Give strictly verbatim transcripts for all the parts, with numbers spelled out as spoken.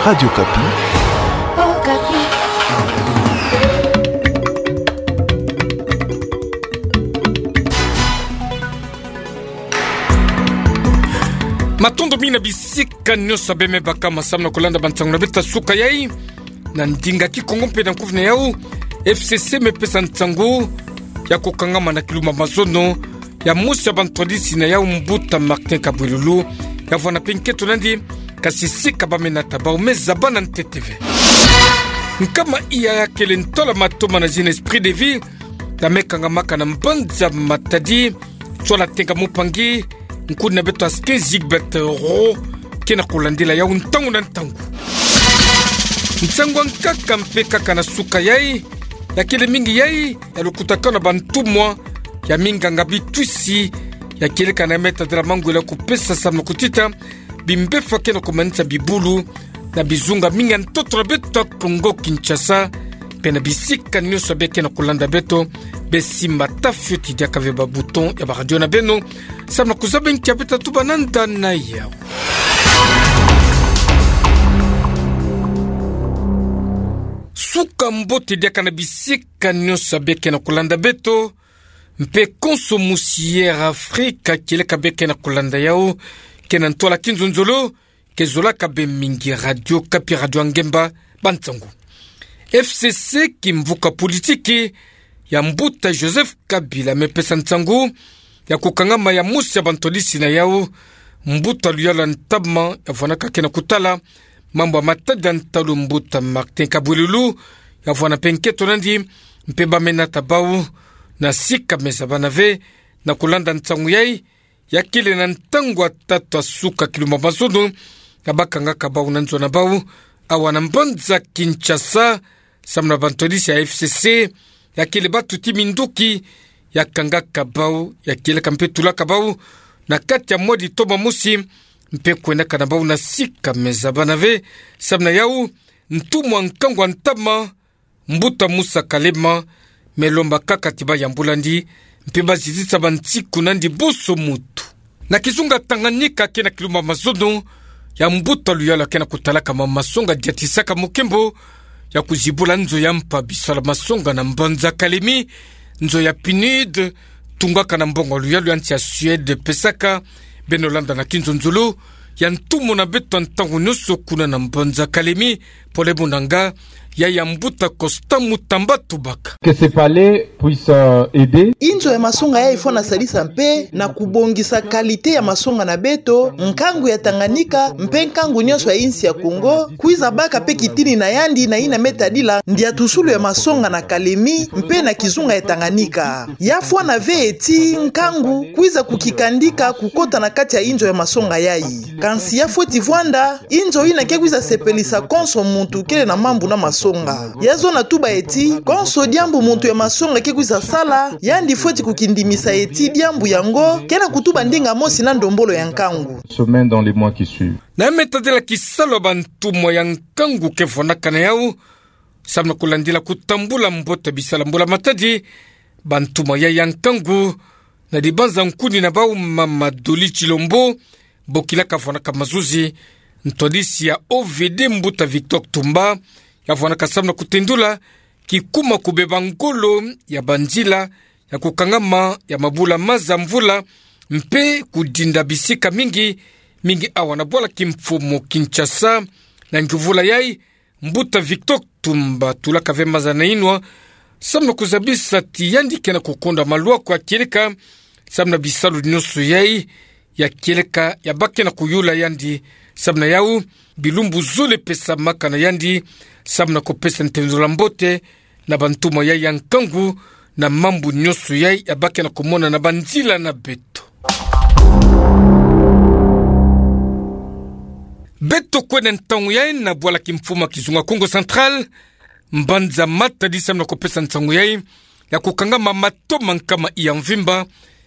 Radio Okapi. Matondo mingi na bisika nyonso beme baka ma samu na kulanda bansangu na beto ya suka yai. Na ndinga Kikongo mpe na nkufi na yau, F C C mepesa nsangu ya kukangama na kilumbu ya mazono ya mosi ya bantwadisi na yau, mbuta Martin Kabwelulu, ya vwanda mpe nkento nandi, kasi sika bamena ta bau me zaba na ntete ve. Nkama iya ya kele ntola matoma na zina Esprit de Vie, ya mekangamaka na mbanza Matadi, tsola Tenga Mupangi, nkuni na beto Askin Zigbert Ro, ke na kulandila yau ntangu na ntangu. Nsangu ya nkaka mpe kaka na suka yai, ya kele mingi yai ya lukutakano ya bantumwa ya minganga bitwisi, ya kieleka na metadila mangwela kupesa samu na kutita bimbefa ke na kumanisa bibulu na bizunga mingi ya ntoto na beto ya Kongo Kinshasa, mpe na bisika nyonso beke na kulanda beto, besimba ta fioti diaka ve ba bouton ya ba radio na beno, samu na kuzaba nkia beto ta tuba nanda na yau. Suka mbote diaka na bisika nyonso beke na kulanda beto, mpe konso musi Air Afrika kieleka beke na kulanda yau, ke na ntola kinzonzolo, ke zolaka be mingi Radio Okapi, radio ya ngemba. Bansangu. F C C, kimvuka politiki ya mbuta Joseph Kabila, mepesa nsangu ya kukangama ya mosi ya bantwadisi na yau, mbuta Luyalu ya Ntama, ya vwanaka ke na kutala mambu ya matadi ya ntalu, mbuta Martin Kabwelulu, ya vwanda mpe nkento nandi, mpe bamena ta bau, na sika me zaba na ve, na kulanda nsangu yai, ya kele na ntangu ya tatu ya suka kilumbu ya mazono, ya bakangaka bau na nzo na bau awa na mbanza Kinshasa, samu na bantwadisi ya F C C, ya kele batuti minduki, ya kangaka bau, ya kieleka mpe tulaka bau na kati ya mwa ditoma mosi, mpe kwendaka na bau na sika me zaba na ve, samu na yau, ntumwa nkangu ya ntama, mbuta Musa Kalema, me lomba kaka ti bayambula ndi, mpe bazizisa bansiku nandi bonso mutu. Na kizunga Tanganyika ke na kilumbu ya mazono, ya mbuta Luyalu ke na kutalaka ma masonga diatisaka mukembo ya kuzibula nzo ya mpa bisalu ya masonga na mbanza Kalemi, nzo ya PNUD, tungaka na mbongo ya Luyalu ya nsi ya Suède pesaka. Beno landa na kinzonzolo ya ntumwa na beto ya ntangu nyonso kuna na mbanza Kalemi, pole munanga, ya ya mbuta Costa Mutamba Tubaka. Que ce palais puisse, euh, aider. Inzo ya masonga yai fwana sadisa mpe na kubongisa qualité ya masonga na beto, nkangu ya Tanganyika, mpe nkangu nyonso ya insi ya Kongo, kwiza baka mpe kitini na yandi na yina me tadila ndiatusulu ya masonga na Kalemi, mpe na kizunga ya Tanganyika. Ya fwana ve ti nkangu kwiza kukikandika kukota na kati ya inzo ya masonga yai. Kansi ya fweti vwanda inzo yina ke kwiza sepelisa konso muntu kele na mambu na masonga. Ya zona tuba ti, konso diambu muntu ya masonga ke kwiza sala, yandi fweti kukindimisa ti diambu yango ke na kutuba ndinga mosi na ndombolo ya nkangu. Semaine dans les mois qui suivent. Na me tadila kisalu ya bantumwa ya nkangu ke vwanaka na yau, samu na kulandila kutambula mbote bisalu ya mbula matadi, bantumwa yai ya nkangu, na dibanza nkuni na bau mama Dolly Tshilombo, bokilaka vwanaka mazuzi, ntwadisi ya O V D mbuta Victor Ktumba, ya vwanaka samu na kutendula kikuma kubeba ngolo ya banzila ya kukangama ya mabula maza mvula, mpe kudinda bisika mingi, mingi awa na bwala kimfumu Kinshasa, na nguvula yai, mbuta Victor Ktumba tulaka ve maza na inwa, samu na kuzabisa ti yandi ke na kukonda malwaku ya kieleka, samu na bisalu nyonso yai ya kieleka ya bake na kuyula yandi, samu na yau, bilumbu zole pesamaka na yandi, samu na kupesa ntendula mbote na bantumwa yai ya nkangu, na mambu nyonso yai ya bake na kumona na banzila na beto. Beto kwenda ntangu yai na bwala kimfumu ya kizunga Kongo Central, mbanza Matadi samu na kupesa nsangu yai ya kukangama matoma nkama iya mvimba,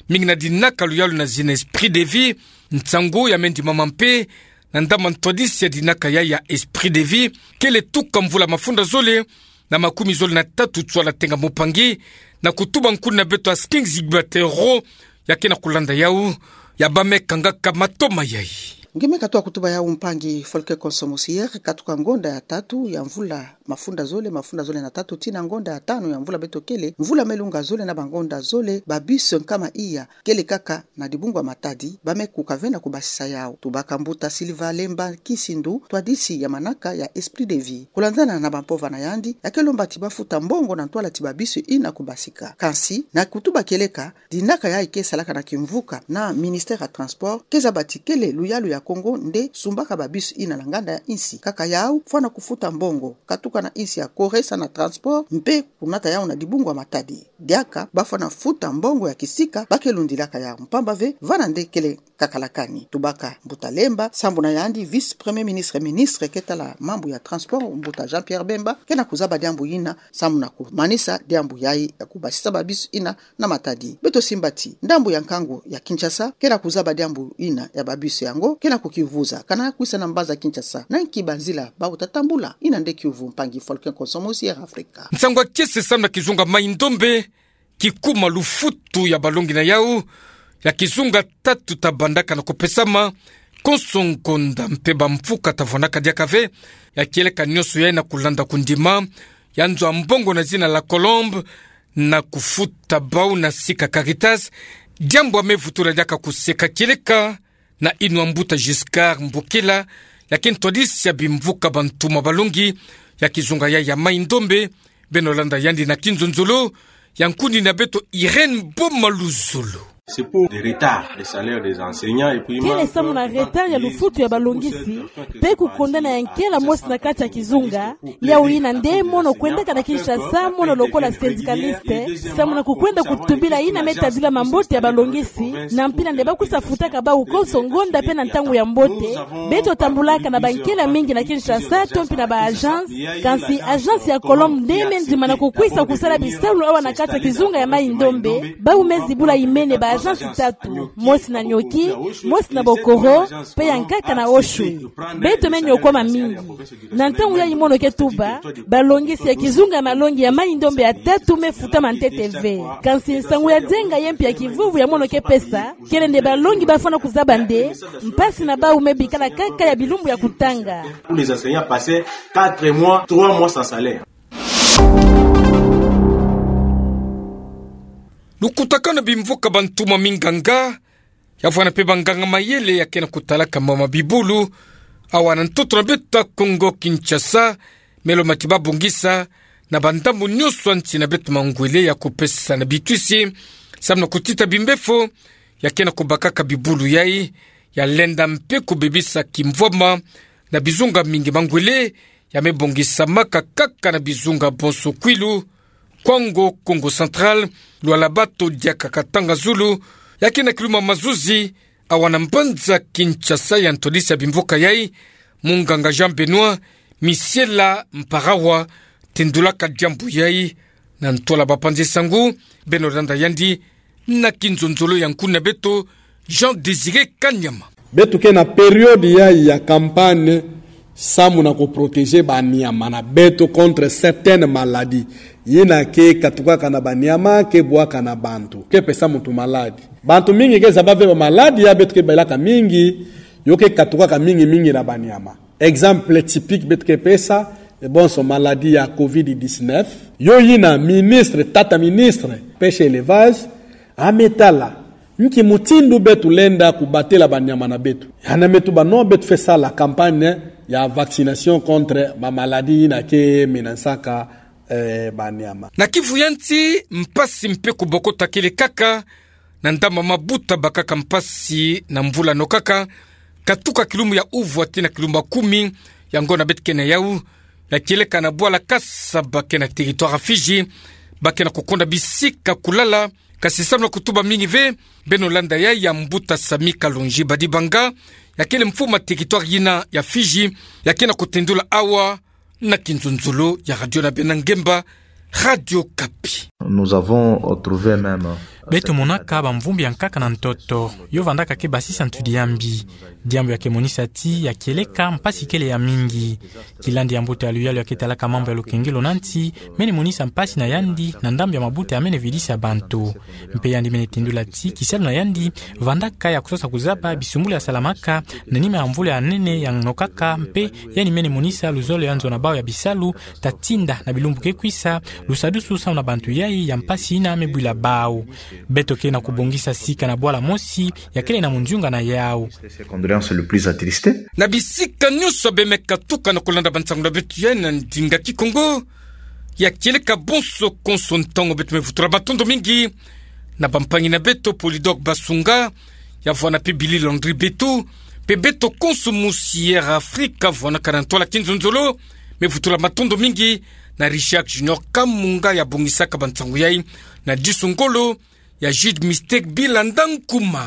mingi na dinaka luyalu na zina Esprit de Vie, nsangu ya me ndimama mpe na ndama ntwadisi ya dinaka yai ya Esprit de Vie, kele tuka mvula mafunda zole na makumi zole na tatu tswala tenga mopangi, na kutuba nkuni na beto Askin Zigbert Ro, ya ke na kulanda yau, ya bamekangaka matoma yai. Nge me katoa kutuba yau mpangi Volker Konso Mosier, katuka ngonda ya tatu ya mvula mafunda zole, mafunda zole na tatu tii na ngonda ya tanu ya mvula beto kele, mvula me lunga zole na bangonda zole, ba bus nkama iya kele kaka na dibungu ya Matadi, ba me kuka ve na kubasisa yau. Tubaka mbuta Silva Lemba Kisindu, twadisi ya manaka ya Esprit de Vie. Kulandana na bampova na yandi, ya ke lomba ti bafuta mbongo na ntwala ti ba bus ina kubasika. Kansi, na kutuba kieleka, dinaka yayi ke salaka na kimvuka na Ministère ya Transport, ke zaba ti kele luyalu ya Kongo nde sumbaka ba bus ina na nganda ya insi. Kaka yau, fwana kufuta mbongo, katuka na insi ya Corée sa na transport, mpe kunata yau na dibungu ya Matadi. Diaka, bafwana futa mbongo ya kisika ba ke lundilaka yau, mpamba ve, vana nde kele kakalakani. Tubaka mbuta Lemba, sambu na yandi vice-premier ministre, ministre ke tala mambu ya transport, mbuta Jean-Pierre Bemba, ke na kuzaba diambu ina, sambu na kumanisa diambu yayi ya kubasisa ba bus ina na Matadi. Beto simba ti ndambu ya nkangu ya Kinshasa ke na kuzaba diambu ina ya ba bus yango, ke na kukiuvuza kana kwisa na mbanza Kinshasa, na nki banzila bawu ta tambula. Ina nde kiuvu mpangi Volker Konso Mosier, Afrika. Nsangu ya kiese samu na kizunga Mai-Ndombe, kikuma lufutu ya balongi na yau ya kizunga tatu ta bandaka na kupesama, konso ngonda mpe bamvuka ta vwanaka diaka ve, ya kieleka nyonso yayi na kulanda kundima ya nzo ya mbongo na zina La Colombe, na kufuta bau na sika Caritas, diambu ya me vutula diaka kuseka kieleka na inwa mbuta Giscard Mbokela, ya ke ntwadisi ya bimvuka bantuma balongi ya kizunga yayi ya Mai-Ndombe. Beno landa yandi na kinzonzolo ya nkuni na beto Irène Boma Luzolo. C'est pour des retards de salaire des enseignants et puis kele samu na retard ya lufutu ya balongisi, mpe kukondana ya nkela mosi na kati ya kizunga. Yau ina nde mono kwendaka na Kinshasa, mono lokola syndicaliste, samu na kukwenda kutubila ina me tadila mambote ya balongisi, na mpila nde ba kwisa futaka bau konso ngonda mpe na ntangu ya mbote. Beto tambulaka na bankela mingi na Kinshasa, to mpe na ba agence, kansi agence ya Colombe nde me ndimana kukwisa kusala bisalu awa na kati ya kizunga ya Mai-Ndombe. Bau me zibula imene ba agence tatu, mosi na Nioki, mosi na Bokoro, mpe ya nkaka na Oshwe. Beto me niokwama mingi. Na ntangu yayi mono ke tuba, balongisi ya kizunga ya malongi ya Mai-Ndombe ya tatu me futama ntete ve. Kansi nsangu ya nzenga ye mpe ya kivuvu ya mono ke pesa, kele nde balongi bafwana kuzaba nde mpasi na bau me bikala kaka ya bilumbu ya kutanga. Où les enseignants passaient quatre mois, trois mois sans salaire. Lukutakanu na bimvuka bantuma minganga, ya vwanda mpe banganga mayele ya ke na kutalaka mama bibulu awa na ntoto na beto ya Kongo Kinshasa, me lomba ti babongisa na bandambu nyonso ya nsi na beto mangwele ya kupesa na bitwisi samu na kutita bimbefo ya ke na kubakaka bibulu yayi, ya lenda mpe kubebisa kimvwama na bizunga mingi mangwele, ya me bongisamaka kaka na bizunga bonso kwilu, Kwango, Kongo Central, Lualaba-Toro, diaka Katanga-Zulu, ya ke na kiluma mazuzi awa na mbanza Kinshasa. Ya ntwadisi ya bimvuka yayi, munganga Jean Benoît Misiela Mparawa, tendulaka diambu yayi na ntwala bapanzi nsangu. Beno landa yandi na kinzonzolo ya nkuni na beto, Jean Désiré Kanyama. Beto ke na période yayi ya campagne samu na kuprotéger baniama na beto contre certaines maladies. Yina ke katukaka na baniama, ke bwaka na bantu, ke pesa muntu maladi. Bantu mingi ke zaba ve ba maladi ya beto ke belaka mingi, yo ke katukaka mingi mingi na baniama. Exemple typique beto ke pesa, e bonso maladie ya covid dix-neuf. Yo yina ministre, tata ministre, pêche et élevage, a me tala nki mutindu beto lenda kubatela baniama na beto. Yandi me tuba non, beto fwe sala campagne ya vaccination contre ba maladie yina ke menacer-aka, eh, baniama. Na kivu ya nsi, mpasi mpe kubokota kele kaka, na ndambu ya mabuta bakaka mpasi na mvula no kaka, katuka kilumbu ya uvwa tii na kilumbu ya kumi ya ngonda beto ke na yau, ya kieleka na bwala Kasaba ke na territoire ya Fidji, ba ke na kukonda bisika kulala. Kasi samu na kutuba mingi ve, beno landa yayi ya mbuta Samy Kalonji Badibanga, ya kele mfumu ya territoire yina ya Fidji, ya ke na kutendula awa na kinzonzolo ya radio na beno ya ngemba, Radio Okapi. Nous avons trouvé même Beto monaka bamvumbi ya nkaka na ntoto, yo vandaka ke basisa ntudi ya mbi. Diambu ya ke monisa ti ya kieleka mpasi kele ya mingi. Kilandi ya mbote ya luyalu ya ke talaka mambu ya lokengelo na nti, mene monisa mpasi na yandi na ndambu ya mabuta ya mene vidisa bantu. Mpe yandi mene tindula ti kisalu na yandi vandaka ya kusosa kuzaba bisumbulu ya salamaka na nima ya mvula ya nene ya nokaka, mpe yandi mene monisa luzolo ya nzo na bau ya bisalu, ta tinda na bilumbu ke kwisa, lusadusu samu na bantu yai ya mpasi ina me bwila bau. Beto ke na kubongisa sika na bwala mosi ya kele na munzunga na yau. Ses condoléances le plus attristé. Na bisika nyonso bemeka tuka na kulanda bansangu na beto yai na ndinga Kikongo, ya kieleka bonso konso ntangu, beto me vutula matondo mingi na bampangi na beto Polydor Basunga, ya vwanda mpe Billy Landry Beto, mpe beto konso musi Air Africa vwandaka na ntwala kinzonzolo. Me vutula matondo mingi na Richard Junior Kamunga ya bongisaka bansangu yai na disu ngolo ya Jude Mistake Bilanda Nkuma.